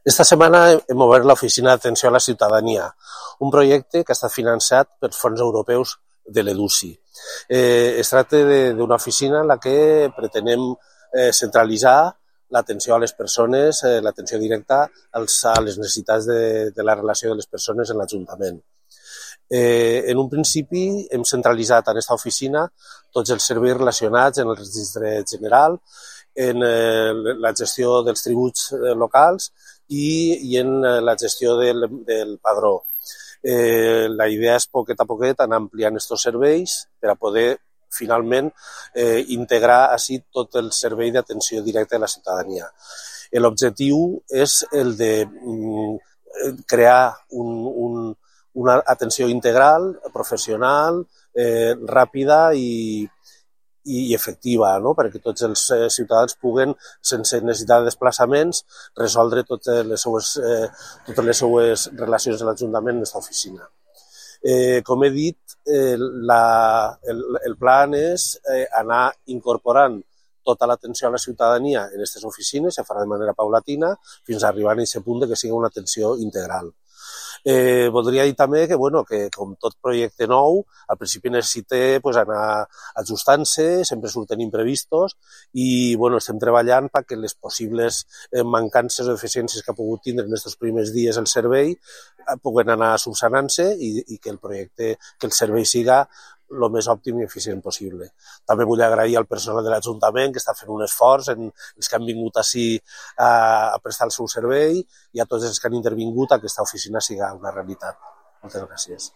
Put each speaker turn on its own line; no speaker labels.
Esta setmana hem obert l'Oficina d'Atenció a la Ciutadania, un projecte que ha estat finançat per fons europeus de l'EDUSI. Es tracta d'una oficina en la que pretenem centralitzar l'atenció a les persones, l'atenció directa a les necessitats de la relació de les persones en l'Ajuntament. En un principi hem centralitzat en aquesta oficina tots els serveis relacionats en el registre general, en la gestió dels tributs locals i en la gestió del padró. La idea és poquet a poquet anar ampliant aquests serveis per a poder finalment integrar així tot el servei d'atenció directa a la ciutadania. L'objectiu és el de crear una atenció integral, professional, ràpida i efectiva, no? Perquè tots els ciutadans puguen, sense necessitat de desplaçaments, resoldre totes les seues relacions de l'Ajuntament en aquesta oficina. Com he dit, el plan és anar incorporant tota l'atenció a la ciutadania en aquestes oficines, se farà de manera paulatina, fins a arribar a aquest punt que sigui una atenció integral. Voldria dir també que com tot projecte nou, al principi necessita anar ajustant-se, sempre surten imprevistos i estem treballant perquè les possibles mancances o deficiències que ha pogut tindre en aquests primers dies el servei puguen anar subsanant-se i que el servei siga el més òptim i eficient possible. També vull agrair al personal de l'Ajuntament que està fent un esforç, els que han vingut ací a prestar el seu servei i a tots els que han intervingut a que aquesta oficina siga una realitat. Moltes gràcies.